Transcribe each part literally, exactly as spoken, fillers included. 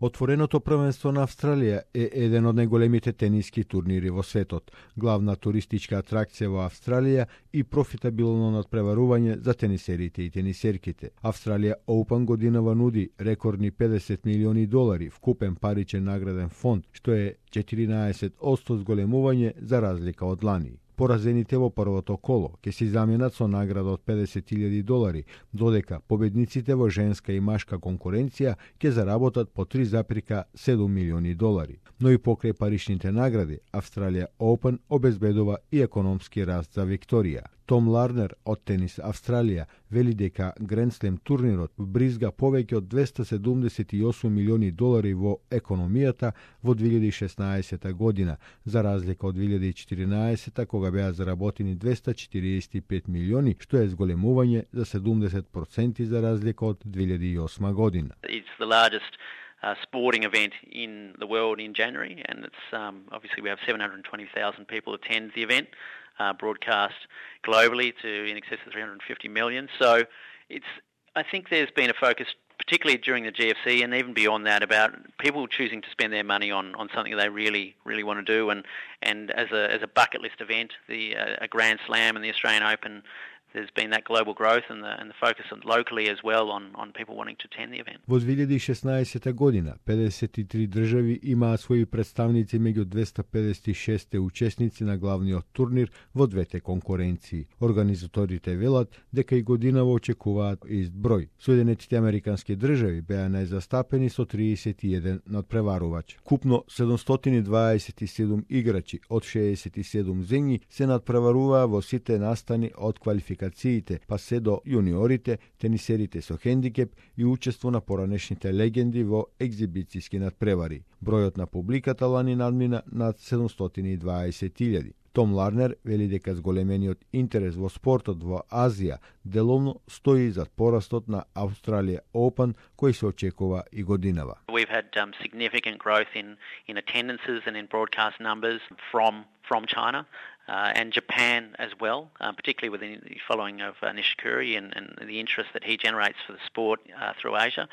Отвореното првенство на Австралија е еден од најголемите тениски турнири во светот, главна туристичка атракција во Австралија и профитабилно надпреварување за тенисерите и тенисерките. Австралија Open годинава нуди рекордни педесет милиони долари вкупен паричен награден фонд, што е четиринаесет одсто зголемување за разлика од лани. Поразените во првото коло ќе се заменат со награда од педесет илјади долари, додека победниците во женска и машка конкуренција ќе заработат по три запирка седум милиони долари. Но и покрај паричните награди, Австралија Open обезбедува и економски раст за Викторија. Том Ларнер од Тенис Австралија вели дека Гранд Слем турнирот вбризга повеќе од двесте седумдесет и осум милиони долари во економијата во две илјади и шеснаесета година, за разлика од две илјади и четиринаесета кога беа заработени двесте четириесет и пет милиони, што е зголемување за седумдесет проценти за разлика од две илјади и осма година. It's the largest uh, sporting event in the world in January, and it's um, obviously we have seven hundred twenty thousand people attend the event. Uh, broadcast globally to in excess of three hundred fifty million. So it's, I think there's been a focus, particularly during the G F C and even beyond that, about people choosing to spend their money on, on something they really, really want to do. And, and as a as a bucket list event, the uh, a Grand Slam and the Australian Open, there's been that global growth and the, and the focus locally as well on, on people wanting to attend the event. Во две илјади и шеснаесета година, педесет и три држави имаа своји представници меѓу двесте педесет и шест учесници на главниот турнир во двете конкуренции. Организаторите велат дека и годинава очекуваат ист број. Соединетите американски држави беа најзастапени со триесет и еден надпреварувач. Купно седумстотини дваесет и седум играчи од шеесет и седум земји се надпреваруваа во сите настани од квалификациите, па се до јуниорите, тенисерите со хендикеп и учество на поранешните легенди во екзибицијски надпревари. Бројот на публиката лани надмина над седумстотини и дваесет илјади. Том Ларнер вели дека зголемениот интерес во спортот во Азија деловно стои зад порастот на Австралија Open, кој се очекува и годинава. We've had um, significant growth in in attendances and in broadcast numbers from from China uh, and Japan as well, uh, particularly with the following of uh, Nishikori and, and the interest that he generates for the sport uh, through Asia.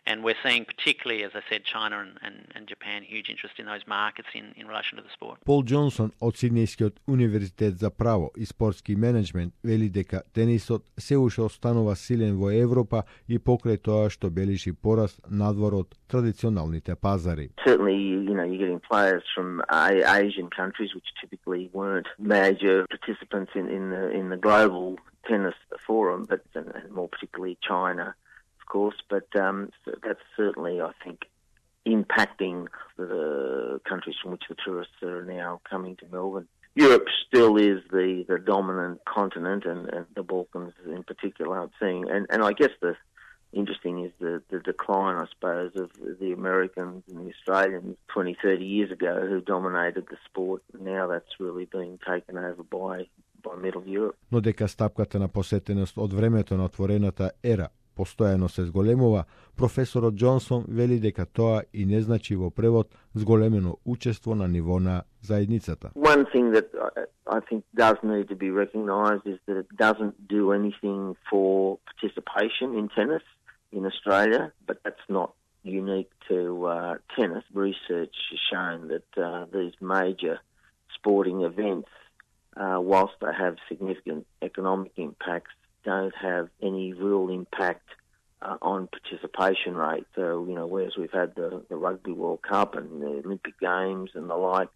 And we're seeing particularly, as I said, China and, and, and Japan, huge interest in those markets in, in relation to the sport. Пол Џонсон од Сиднејскиот универзитет за право и спортски менеджмент вели дека тенисот се уште останува силен во Европа и покрај тоа што бележи пораст надвор од традиционалните пазари. Certainly, you know, you're getting players from Asian countries which typically weren't major participants in, in the in the global tennis forum, but and, and more particularly China. Course, but um, that's certainly, I think, impacting the countries from which the tourists are now coming to Melbourne. Europe still is the, the dominant continent, and, and the Balkans in particular, I'm seeing. And, and I guess the interesting is the, the decline, I suppose, of the Americans and the Australians twenty, thirty years ago who dominated the sport. Now that's really being taken over by, by Middle Europe. Но дека стапката на посетеност од времето на отворената ера постојано се зголемува, професорот Џонсон вели дека тоа и не значи во превод зголемено учество на ниво на заедницата. One thing that I think does need to be recognised is that it doesn't do anything for participation in tennis in Australia, but that's not unique to uh, tennis. Research has shown that uh, these major sporting events, uh, whilst they have significant economic impacts, don't have any real impact uh, on participation rate. So, you know, whereas we've had the, the Rugby World Cup and the Olympic Games and the like,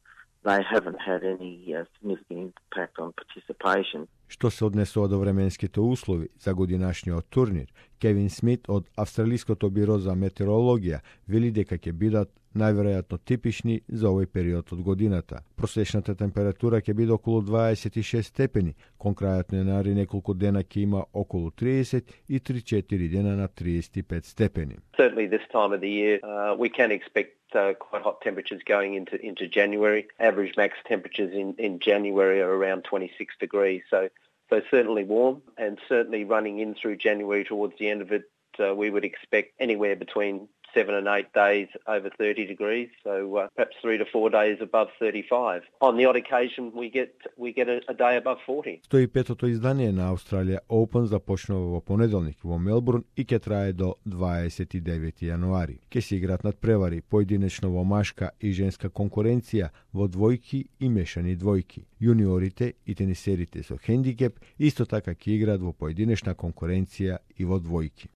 they haven't had any uh, significant impact on participation. Што се однесува до временските услови за годинашниот турнир, Кевин Смит од Австралиското биро за метеорологија вели дека ќе бидат најверојатно типични за овој период од годината. Просечната температура ќе биде околу дваесет и шест степени, кон крајот на јанари неколку дена ќе има околу триесет и три-четири дена на триесет и пет степени. Certainly this time of the year uh, we can expect uh, quite hot temperatures going into into January. Average max temperatures in in January are around twenty-six degrees, so so certainly warm, and certainly running in through January towards the end of it, uh, we would expect anywhere between seven and eight days over thirty degrees, so uh, perhaps three to four days above thirty-five. On the odd occasion, we get we get a, a day above forty. сто и петото издание на Australia Open започнува во понеделник во Мелбурн и ќе трае до дваесет и девети јануари. Ќе се играат надпревари поединечно во машка и женска конкуренција во двојки и мешани двојки. Јуниорите и тенисерите со хендикеп исто така ќе играат во поединечна конкуренција и во двојки.